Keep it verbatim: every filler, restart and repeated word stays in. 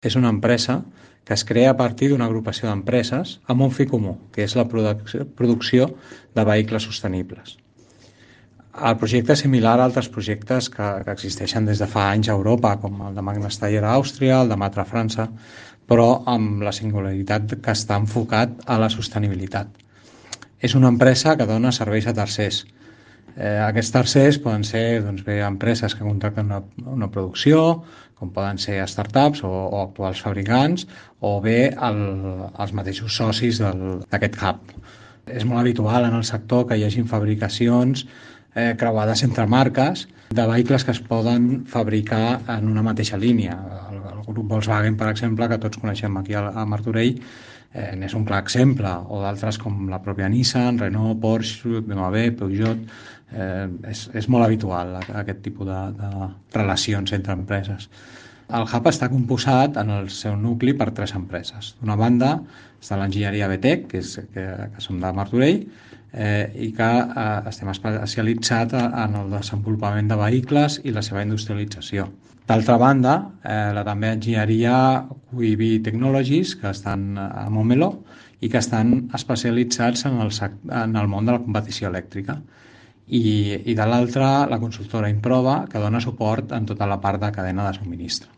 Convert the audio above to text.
És una empresa que es crea a partir d'una agrupació d'empreses amb un fi comú, que és la producció de vehicles sostenibles. El projecte és similar a altres projectes que, que existeixen des de fa anys a Europa, com el de Magna Steyr a Àustria, el de Matra a França, però amb la singularitat que està enfocat a la sostenibilitat. És una empresa que dona serveis a tercers. Eh, aquests tercers poden ser doncs, bé, empreses que contracten una, una producció, com poden ser startups o, o actuals fabricants, o bé el, els mateixos socis d'aquest hub. És molt habitual en el sector que hi hagi fabricacions eh, creuades entre marques de vehicles que es poden fabricar en una mateixa línia. El, el grup Volkswagen, per exemple, que tots coneixem aquí a, a Martorell, eh, n'és un clar exemple, o d'altres com la pròpia Nissan, Renault, Porsche, B M W, Peugeot. Eh, és, és molt habitual aquest tipus de, de relacions entre empreses. El hub està composat en el seu nucli per tres empreses. D'una banda està l'enginyeria B T E C, que, és, que, que som de Martorell, eh, i que eh, estem especialitzats en el desenvolupament de vehicles i la seva industrialització. D'altra banda, eh, la també enginyeria Q I B Technologies, que estan a Montmeló i que estan especialitzats en el, en el món de la competició elèctrica. I, i de l'altra, la consultora Improva, que dona suport en tota la part de cadena de subministre.